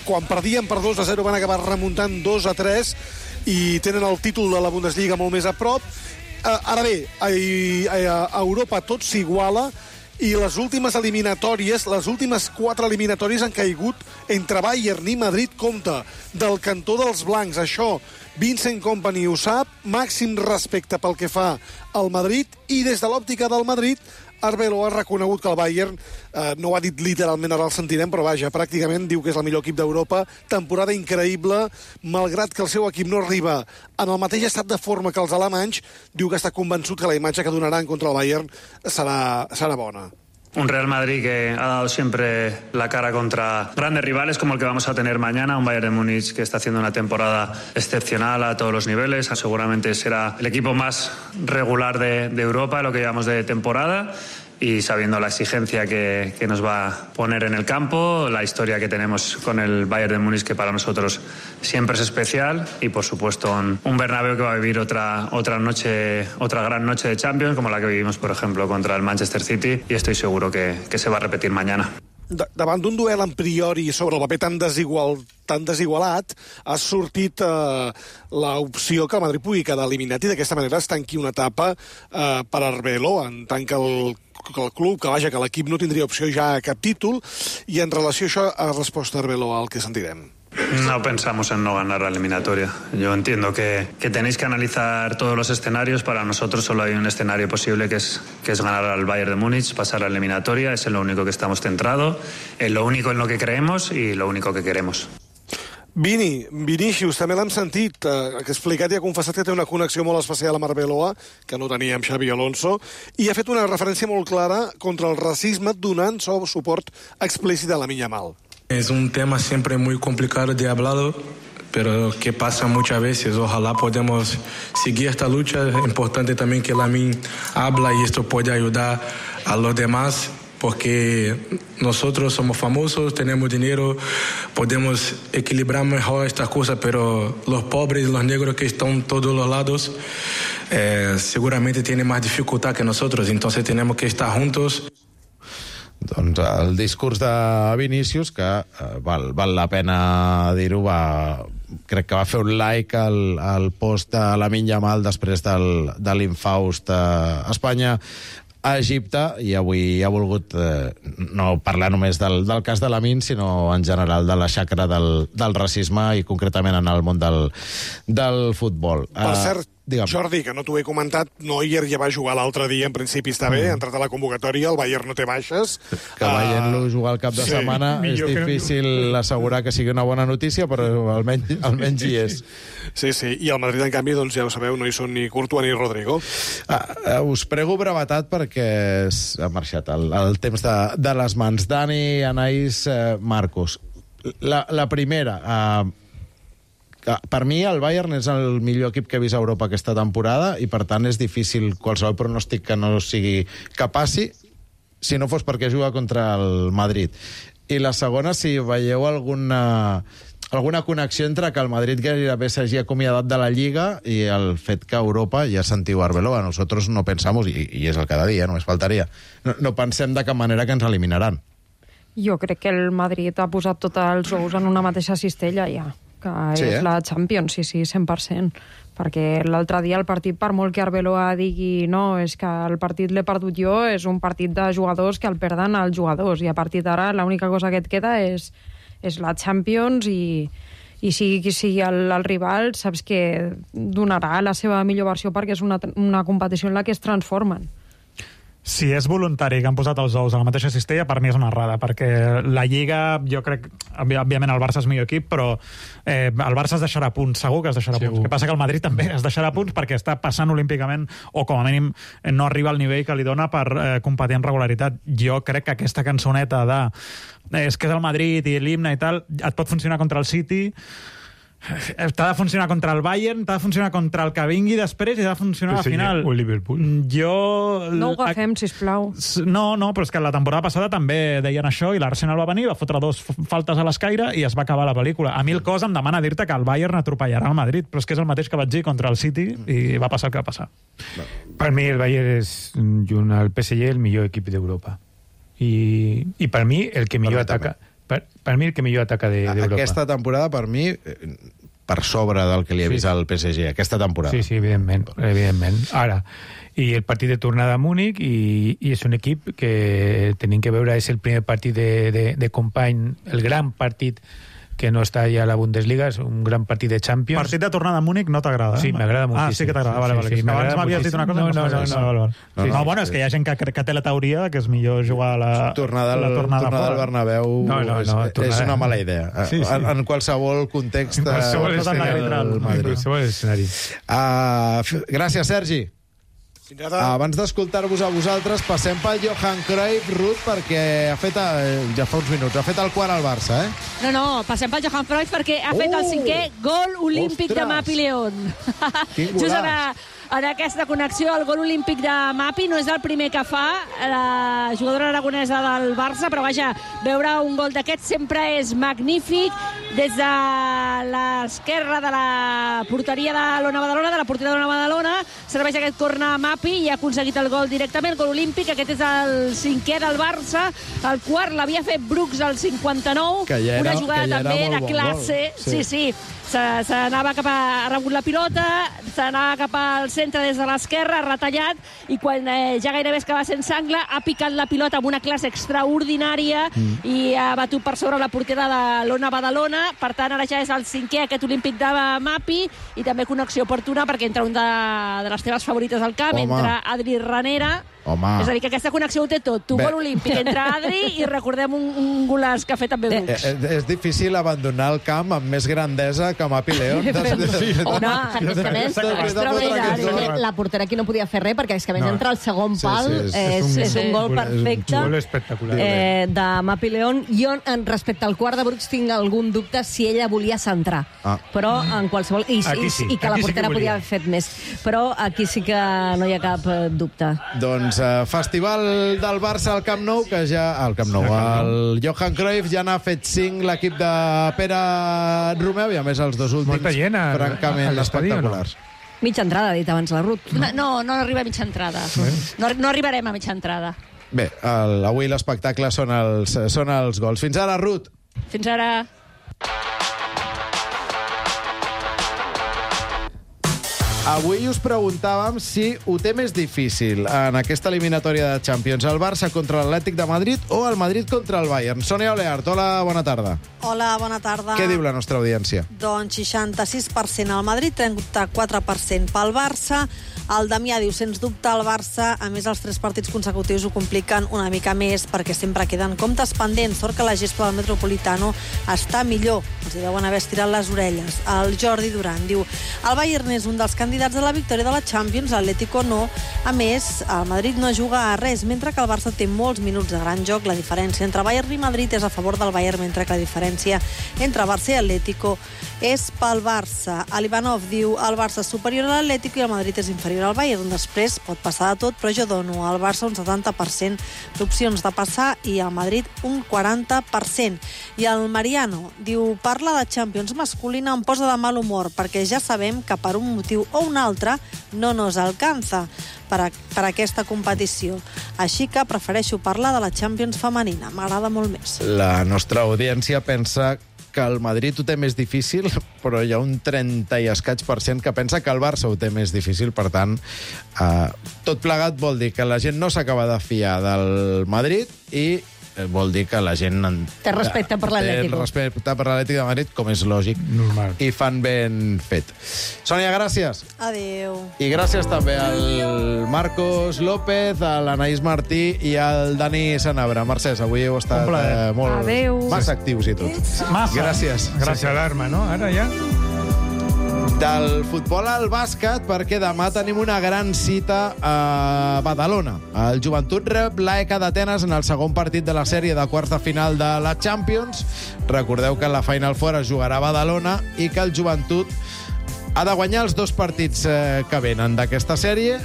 Quan perdien per dos a zero van acabar remuntant dos a tres i tenen el títol de la Bundesliga molt més a prop. Eh, ara bé, a, a Europa tot s'iguala i les últimes eliminatòries, les últimes quatre eliminatòries han caigut entre Bayern i Madrid. Compte, del cantó dels blancs. Això Vincent Kompany ho sap, màxim respecte pel que fa al Madrid, i des de l'òptica del Madrid Arbeloa ha reconegut que el Bayern, eh, no ho ha dit literalment, ara el sentirem, però vaja, pràcticament diu que és el millor equip d'Europa. Temporada increïble, malgrat que el seu equip no arriba en el mateix estat de forma que els alemanys, diu que està convençut que la imatge que donaran contra el Bayern serà, serà bona. Un Real Madrid que ha dado siempre la cara contra grandes rivales como el que vamos a tener mañana, un Bayern de Múnich que está haciendo una temporada excepcional a todos los niveles. Seguramente será el equipo más regular de, de Europa, lo que llevamos de temporada, y sabiendo la exigencia que, que nos va a poner en el campo, la historia que tenemos con el Bayern de Múnich, que para nosotros siempre es especial, y por supuesto un, un Bernabéu que va a vivir otra, otra noche, otra gran noche de Champions, como la que vivimos, por ejemplo, contra el Manchester City, y estoy seguro que, que se va a repetir mañana. de, davant d'un duel en priori sobre el paper tan desigual, tan desigualat, ha sortit eh, l'opció que el Madrid pugui quedar eliminat i d'aquesta manera es tanqui una etapa eh, per Arbeloa, en tant que el, que el club, que vaja, que l'equip no tindria opció ja a cap títol, i en relació a això ha respost Arbeloa al que sentirem. No pensamos en no ganar la eliminatoria. Yo entiendo que, que tenéis que analizar todos los escenarios. Para nosotros solo hay un escenario posible, que es, que es ganar al Bayern de Múnich, pasar a la eliminatoria. Es en lo único que estamos centrados, en lo único en lo que creemos y lo único que queremos. Vini, Vinícius, també l'hem sentit, eh, que ha explicat i ha confessat que té una connexió molt especial amb Arbeloa, que no tenia amb Xavi Alonso, i ha fet una referència molt clara contra el racisme, donant suport explícit a Lamine Yamal. Es un tema siempre muy complicado de hablar, pero que pasa muchas veces. Ojalá podamos seguir esta lucha. Es importante también que Lamine habla y esto puede ayudar a los demás, porque nosotros somos famosos, tenemos dinero, podemos equilibrar mejor estas cosas, pero los pobres, los negros que están en todos los lados, eh, seguramente tienen más dificultad que nosotros, entonces tenemos que estar juntos. Doncs el discurs de Vinícius, que eh, val, val la pena dir-ho, va, crec que va fer un like al, al post de Lamine Yamal després del, de l'infaust a Espanya a Egipte, i avui ha volgut eh, no parlar només del, del cas de Lamine, sinó en general de la xacra del, del racisme i concretament en el món del, del futbol. Per uh, cert, digue'm. Jordi, que no t'ho he comentat, Neuer ja va jugar l'altre dia, en principi està bé, ha entrat a la convocatòria, el Bayern no té baixes. Que veient-lo jugar al cap de sí, setmana és difícil que... assegurar que sigui una bona notícia, però almenys, almenys hi és. Sí, sí, i el Madrid, en canvi, doncs ja ho sabeu, no hi són ni Courtois ni Rodrigo. Ah, us prego brevetat perquè ha marxat el, el temps de, de les mans. Dani, Anaïs, eh, Marcos. La, la primera... Eh, per mi el Bayern és el millor equip que he vist a Europa aquesta temporada i per tant és difícil qualsevol pronòstic que no sigui que passi, si no fos perquè juga contra el Madrid. I la segona, si veieu alguna, alguna connexió entre que el Madrid gairebé s'hagi acomiadat de la Lliga i el fet que a Europa, ja sentiu Arbeloa, nosotros no pensamos, i, i és el cada dia, només faltaria, no, no pensem de cap manera que ens eliminaran. Jo crec que el Madrid ha posat tots els ous en una mateixa cistella ja, que sí, és eh? la Champions, sí, sí, cent per cent. Perquè l'altre dia el partit, per molt que Arbeloa digui no, és que el partit l'he perdut jo, és un partit de jugadors que el perden els jugadors, i a partir d'ara l'única cosa que et queda és, és la Champions, i, i sigui qui sigui el, el rival, saps que donarà la seva millor versió perquè és una, una competició en la que es transformen. Si és voluntari que han posat els ous a la mateixa cistella, per mi és una errada, perquè la Lliga, jo crec, òbviament el Barça és millor equip, però eh, el Barça es deixarà punts, segur que es deixarà segur. punts. El que passa que el Madrid també es deixarà punts perquè està passant olímpicament, o com a mínim no arriba al nivell que li dona per eh, competir amb regularitat. Jo crec que aquesta cançoneta de eh, és que és el Madrid i l'himne i tal, et pot funcionar contra el City, t'ha de funcionar contra el Bayern, t'ha de funcionar contra el que vingui després i ha de funcionar al final. O Liverpool. Jo... No ho agafem, sisplau. No, no, però és que la temporada passada també deien això i l'Arsenal va venir, va fotre dos faltes a l'escaire i es va acabar la pel·lícula. A mi el cos em demana dir-te que el Bayern atropellarà el Madrid, però és que és el mateix que vaig dir contra el City i va passar el que va passar. Per mi el Bayern és, junt al P S G, el millor equip d'Europa. I, i per mi el que millor ataca... Per, per mi el que millor ataca d'Europa. De, aquesta temporada, per mi, per sobre del que li ha vist sí. al P S G, aquesta temporada. Sí, sí, evidentment, evidentment. Ara, i el partit de tornada a Múnich, i, i és un equip que tenim que veure, és el primer partit de, de, de company, el gran partit que no està ja a la Bundesliga, és un gran partit de Champions. Partit de tornada a Múnich no t'agrada? Sí, m'agrada moltíssim. Ah, sí que t'agrada, vale, vale. Sí, sí, abans m'havies dit una cosa... No, no, no. no, no, no. Sí, no, bueno, és que hi ha gent que, que té la teoria que és millor jugar a la... Tornada, la tornada, tornada al Bernabéu no, no, no, és, tornada... és una mala idea. Sí, sí. En, en qualsevol context... En qualsevol escenari. Uh, gràcies, Sergi. Abans d'escoltar-vos a vosaltres, passem pel Johan Cruyff, Ruth, perquè ha fet, ja fa uns minuts, ha fet el quart al Barça, eh? No, no, passem pel Johan Cruyff perquè ha fet el cinquè gol olímpic de Mapi León. Just ara en aquesta connexió. El gol olímpic de Mapi no és el primer que fa la jugadora aragonesa del Barça, però vaja, veure un gol d'aquest sempre és magnífic. Des de l'esquerra de la porteria de l'Ona Badalona, de la porteria de l'Ona Badalona, serveix aquest corner a Mapi i ha aconseguit el gol directament, gol olímpic. Aquest és el cinquè del Barça, el quart l'havia fet Brooks al cinquanta-nou, que ja era, una jugada que ja també de bon classe. Gol. Sí, sí. S'anava cap a... ha rebut la pilota, s'anava cap al centre des de l'esquerra, ha retallat, i quan eh, ja gairebé es quedava sense angle, ha picat la pilota amb una classe extraordinària mm. i ha batut per sobre la portera de l'Ona Badalona. Per tant, ara ja és el cinquè, aquest olímpic de Mapi, i també connexió oportuna perquè entra un de, de les teves favorites al camp, Home. entra Adri Ranera. Home. És a dir, que aquesta connexió ho té tot. Tu, gol olímpic, entra Adri i recordem un, un golaç que ha fet també Brooks. Eh, eh, és difícil abandonar el camp amb més grandesa que Mapi León. Home, és que més, extraordinari. La portera aquí no podia fer res, perquè és que a més No. entra al segon Sí, pal, sí, és- és, és un- és un gol és un perfecte. gol espectacular. Eh, de Mapi León. Jo, en respecte al quart de Brooks, tinc algun dubte si ella volia centrar. Ah. Però en qualsevol... I, Aquí i, sí, i que la aquí sí que portera volia. podia haver fet més. Però aquí sí que no hi ha cap eh, dubte. Doncs eh, festival del Barça al Camp Nou, que ja... Al Camp Nou, el Johan Cruyff ja n'ha fet cinc l'equip de Pere Romeu, i a més els dos últims Molta gent a- francament a l'estadi, o no? espectaculars. Mitja entrada, ha dit abans la Ruth. No, no, no arriba a mitja entrada. No, no arribarem a mitja entrada. Bé, el, avui l'espectacle són els, són els gols. Fins ara, Ruth. Fins ara... Avui us preguntàvem si ho té més difícil en aquesta eliminatòria de Champions, el Barça contra l'Atlètic de Madrid o el Madrid contra el Bayern. Sònia Oleart, hola, bona tarda. Hola, bona tarda. Què diu la nostra audiència? Doncs seixanta-sis per cent al Madrid, trenta-quatre per cent pel Barça. El Damià diu, sens dubte, el Barça, a més els tres partits consecutius ho compliquen una mica més perquè sempre queden comptes pendents. Sort que la gespa del Metropolitano està millor. Els hi deuen haver estirat les orelles. El Jordi Duran diu, el Bayern és un dels candidats a la victòria de la Champions, l'Atlético no. A més, el Madrid no juga a res, mentre que el Barça té molts minuts de gran joc. La diferència entre Bayern i Madrid és a favor del Bayern, mentre que la diferència entre Barça i Atlético és pel Barça. L'Ivanov diu, el Barça és superior a l'Atlético i el Madrid és inferior al Bayern. Després pot passar de tot, però jo dono al Barça un setanta per cent d'opcions de passar i al Madrid un quaranta per cent. I el Mariano diu, parla de Champions masculina em posa de mal humor, perquè ja sabem que per un motiu o un altre no nos alcanza per, a, per aquesta competició. Així que prefereixo parlar de la Champions femenina. M'agrada molt més. La nostra audiència pensa que el Madrid ho té més difícil, però hi ha un trenta i escaig per cent que pensa que el Barça ho té més difícil. Per tant, eh, tot plegat vol dir que la gent no s'acaba de fiar del Madrid i vol dir que la gent... Té respecte per l'Atlético. Té respecte per l'Atlètic de Madrid, com és lògic. Normal. I fan ben fet. Sònia, gràcies. Adéu. I gràcies també al Marcos López, a l'Anaïs Martí i al Dani Sanabra. Mercès, avui heu estat eh, molt... Adéu. Massa actius i tot. Massa. Gràcies. Gràcies a l'arma, no? Ara ja... Del futbol al bàsquet, perquè demà tenim una gran cita a Badalona. El Joventut rep l'A E K d'Atenes en el segon partit de la sèrie de quarts de final de la Champions. Recordeu que la Final Four es jugarà a Badalona i que el Joventut ha de guanyar els dos partits eh, que venen d'aquesta sèrie,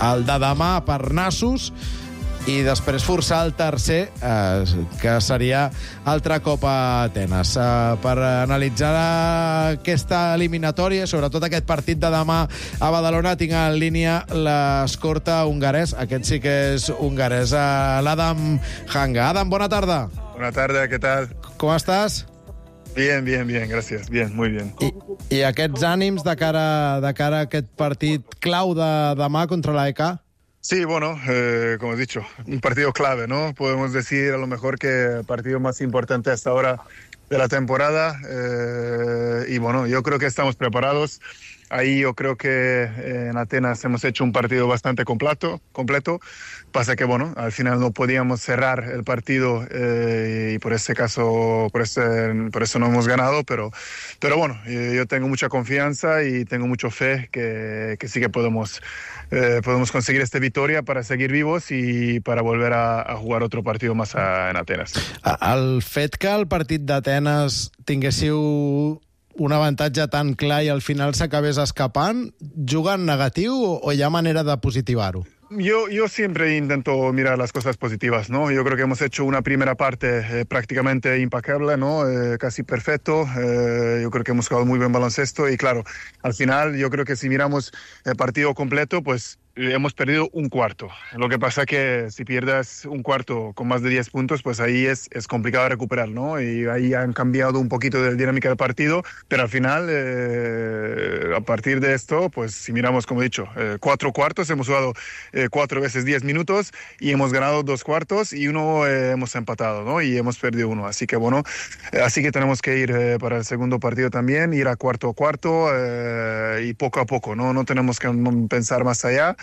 el de demà per nassos, i després forçar el tercer, eh, que seria altre cop a Atenes. Eh, per analitzar aquesta eliminatòria, sobretot aquest partit de demà a Badalona, tinc en línia l'escorta hongarès. Aquest sí que és hongarès, eh, l'Adam Hanga. Adam, bona tarda. Buena tarde, ¿qué tal? Com estàs? Bien, bien, bien, gracias. Bien, muy bien. I, i aquests ànims de cara, de cara a aquest partit clau de demà contra l'A E K? Sí, bueno, eh, como he dicho, un partido clave, ¿no? Podemos decir a lo mejor que el partido más importante hasta ahora de la temporada. Eh, y bueno, yo creo que estamos preparados. Ahí yo creo que en Atenas hemos hecho un partido bastante completo, completo. Pasa que, bueno, al final no podíamos cerrar el partido eh, y por ese caso, por, ese, por eso no hemos ganado. Pero, pero bueno, yo tengo mucha confianza y tengo mucha fe que, que sí que podemos, eh, podemos conseguir esta victoria para seguir vivos y para volver a, a jugar otro partido más a, en Atenas. El fet que el partit d'Atenes tinguéssiu un avantatge tan clar i al final s'acabés escapant, juga en negatiu o hi ha manera de positivar-ho? Yo, yo siempre intento mirar las cosas positivas, ¿no? Yo creo que hemos hecho una primera parte eh, prácticamente impecable, ¿no? Eh, casi perfecto. Eh, yo creo que hemos jugado muy buen baloncesto y claro, al final yo creo que si miramos el partido completo, pues hemos perdido un cuarto. Lo que pasa que si pierdes un cuarto con más de diez puntos, pues ahí es, es complicado recuperar, ¿no? Y ahí han cambiado un poquito de dinámica del partido, pero al final, eh, a partir de esto, pues si miramos, como he dicho, eh, cuatro cuartos, hemos jugado eh, cuatro veces diez minutos y hemos ganado dos cuartos y uno eh, hemos empatado, ¿no? Y hemos perdido uno. Así que bueno, eh, así que tenemos que ir eh, para el segundo partido también, ir a cuarto a cuarto eh, y poco a poco, ¿no? No tenemos que pensar más allá.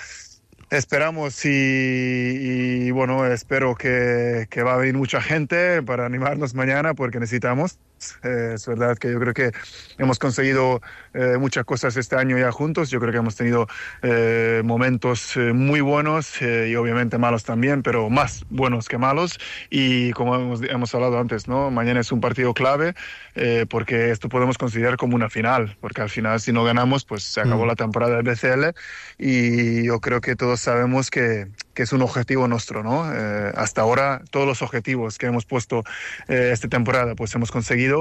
Esperamos y, y bueno, espero que, que va a venir mucha gente para animarnos mañana porque necesitamos. Eh, es verdad que yo creo que hemos conseguido eh, muchas cosas este año ya juntos. Yo creo que hemos tenido eh, momentos eh, muy buenos eh, y obviamente malos también, pero más buenos que malos. Y como hemos, hemos hablado antes, ¿no? Mañana es un partido clave eh, porque esto podemos considerar como una final, porque al final si no ganamos pues se acabó mm. la temporada del B C L y yo creo que todos sabemos que, que es un objetivo nuestro, ¿no? Eh, hasta ahora todos los objetivos que hemos puesto eh, esta temporada pues hemos conseguido.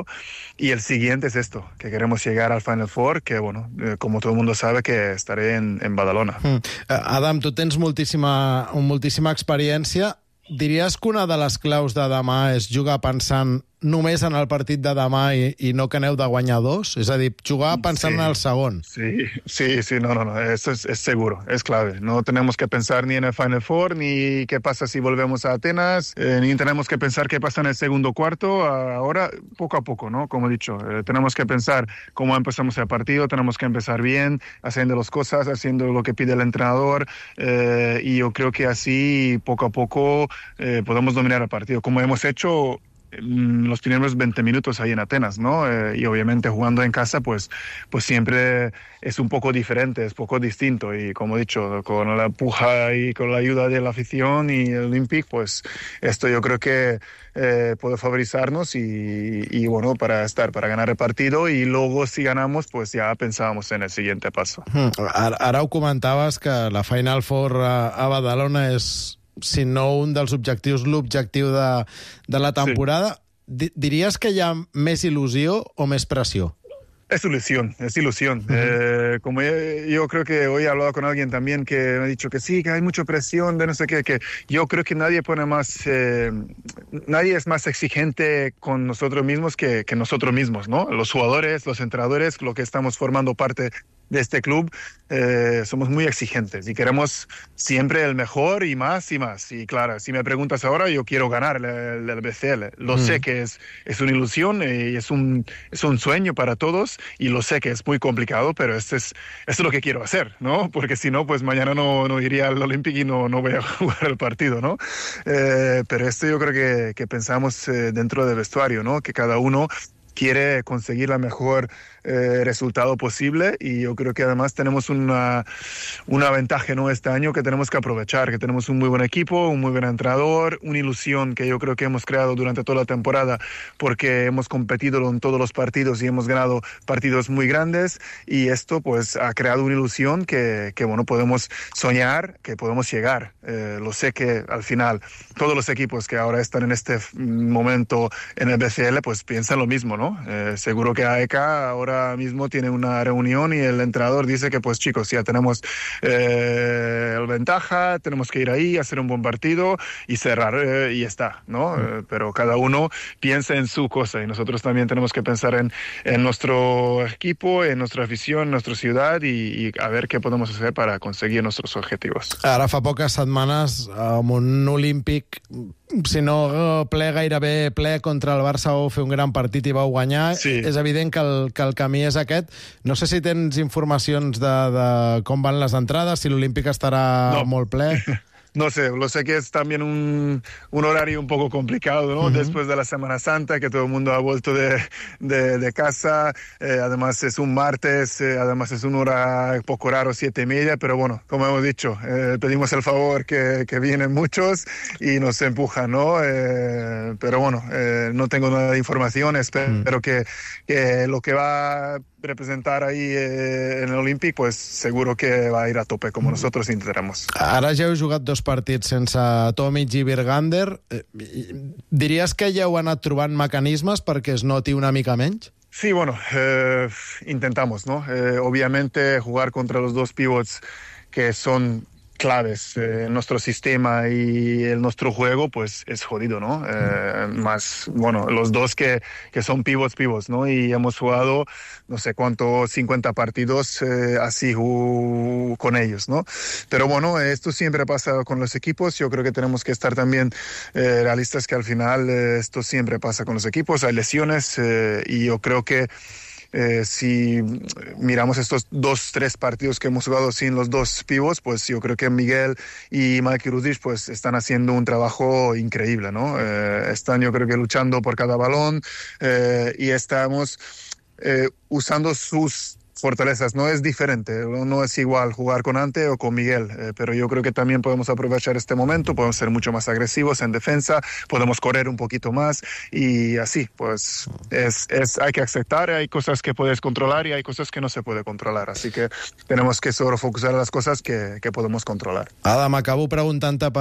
Y el siguiente es esto, que queremos llegar al Final Four, que, bueno, eh, como todo el mundo sabe, que estaré en, en Badalona. Mm. Adam, tu tens moltíssima, moltíssima experiència. Diries que una de les claus de demà és jugar pensant només en el partit de demà i, i no que aneu de guanyar dos? És a dir, jugar pensant sí, en el segon. Sí, sí, sí, no, no, no, eso es, es seguro, es clave. No tenemos que pensar ni en el Final Four, ni qué pasa si volvemos a Atenas, eh, ni tenemos que pensar qué pasa en el segundo cuarto. Ahora, poco a poco, ¿no? Como he dicho, eh, tenemos que pensar cómo empezamos el partido, tenemos que empezar bien, haciendo las cosas, haciendo lo que pide el entrenador, eh, y yo creo que así, poco a poco, eh, podemos dominar el partido, como hemos hecho los primeros veinte minutos ahí en Atenas, ¿no? Eh, y obviamente jugando en casa, pues, pues siempre es un poco diferente, es poco distinto. Y como he dicho, con la puja y con la ayuda de la afición y el Olympic, pues esto yo creo que eh, puede favorizarnos y, y bueno, para estar, para ganar el partido. Y luego si ganamos, pues ya pensábamos en el siguiente paso. Hmm. Ara, ara ho comentaves que la Final Four a, a Badalona és, si no un dels objectius, l'objectiu de, de la temporada. Sí. Diries que hi ha més il·lusió o més pressió? Es ilusión, es ilusión. Uh-huh. Eh, como yo, yo creo que hoy he hablado con alguien también que me ha dicho que sí, que hay mucha presión de no sé qué, que yo creo que nadie pone más, eh, nadie es más exigente con nosotros mismos que, que nosotros mismos, ¿no? Los jugadores, los entrenadores, lo que estamos formando parte de este club, eh, somos muy exigentes y queremos siempre el mejor y más y más. Y claro, si me preguntas ahora, yo quiero ganar el, el, el B C L. Lo mm. sé que es, es una ilusión y es un, es un sueño para todos y lo sé que es muy complicado, pero esto es, esto es lo que quiero hacer, ¿no? Porque si no, pues mañana no, no iría al Olympic y no, no voy a jugar el partido, ¿no? Eh, pero esto yo creo que, que pensamos eh, dentro del vestuario, ¿no? Que cada uno quiere conseguir la mejor eh, resultado posible y yo creo que además tenemos una, una ventaja, ¿no? Este año que tenemos que aprovechar, que tenemos un muy buen equipo, un muy buen entrenador, una ilusión que yo creo que hemos creado durante toda la temporada porque hemos competido en todos los partidos y hemos ganado partidos muy grandes y esto pues ha creado una ilusión que, que bueno, podemos soñar, que podemos llegar. Eh, lo sé que al final todos los equipos que ahora están en este momento en el B C L pues piensan lo mismo, ¿no? Eh, seguro que A E K ahora mismo tiene una reunión y el entrenador dice que pues chicos, ya tenemos eh, la ventaja, tenemos que ir ahí, hacer un buen partido y cerrar eh, y ya está, ¿no? Mm. Eh, pero cada uno piensa en su cosa y nosotros también tenemos que pensar en, en nuestro equipo, en nuestra afición, en nuestra ciudad y, y a ver qué podemos hacer para conseguir nuestros objetivos. Ara fa poques setmanes amb un Olímpic, si no ple, gairebé ple contra el Barça, vau fer un gran partit i vau guanyar. Sí. És evident que el, que el camí és aquest. No sé si tens informacions de, de com van les entrades, si l'Olímpic estarà no. molt ple. no sé, lo sé que es también un, un horario un poco complicado, ¿no? Uh-huh. Después de la Semana Santa, que todo el mundo ha vuelto de, de, de casa, eh, además es un martes, eh, además es una hora poco raro, siete y media, pero bueno, como hemos dicho, eh, pedimos el favor que, que vienen muchos y nos empujan, ¿no? Eh, pero bueno, eh, no tengo nada de información, espero uh-huh. que, que lo que va a representar ahí eh, en el Olímpic, pues seguro que va a ir a tope, como nosotros intentaremos. Ara ja heu jugat dos partits sense Tomic i Bergander. Diries que ja heu anat trobant mecanismes perquè es noti una mica menys? Sí, bueno, eh, intentamos, ¿no? Eh, obviamente jugar contra los dos pivots que son claves eh, en nuestro sistema y en nuestro juego, pues es jodido, ¿no? Eh, más, bueno, los dos que, que son pivots, pivots, ¿no? Y hemos jugado, no sé cuánto, cincuenta partidos eh, así uh, con ellos, ¿no? Pero bueno, esto siempre pasa con los equipos. Yo creo que tenemos que estar también eh, realistas que al final eh, esto siempre pasa con los equipos. Hay lesiones eh, y yo creo que Eh, si miramos estos dos, tres partidos que hemos jugado sin los dos pivots, pues yo creo que Miguel y Mike Rudic pues están haciendo un trabajo increíble, ¿no? Eh, están yo creo que luchando por cada balón eh, y estamos eh, usando sus fortalezas. No es diferente, no es igual jugar con Ante o con Miguel, eh, pero yo creo que también podemos aprovechar este momento, podemos ser mucho más agresivos en defensa, podemos correr un poquito más y así, pues es, es, hay que aceptar, hay cosas que puedes controlar y hay cosas que no se puede controlar, así que tenemos que solo focusar en las cosas que, que podemos controlar. Adam, acabo preguntant-te per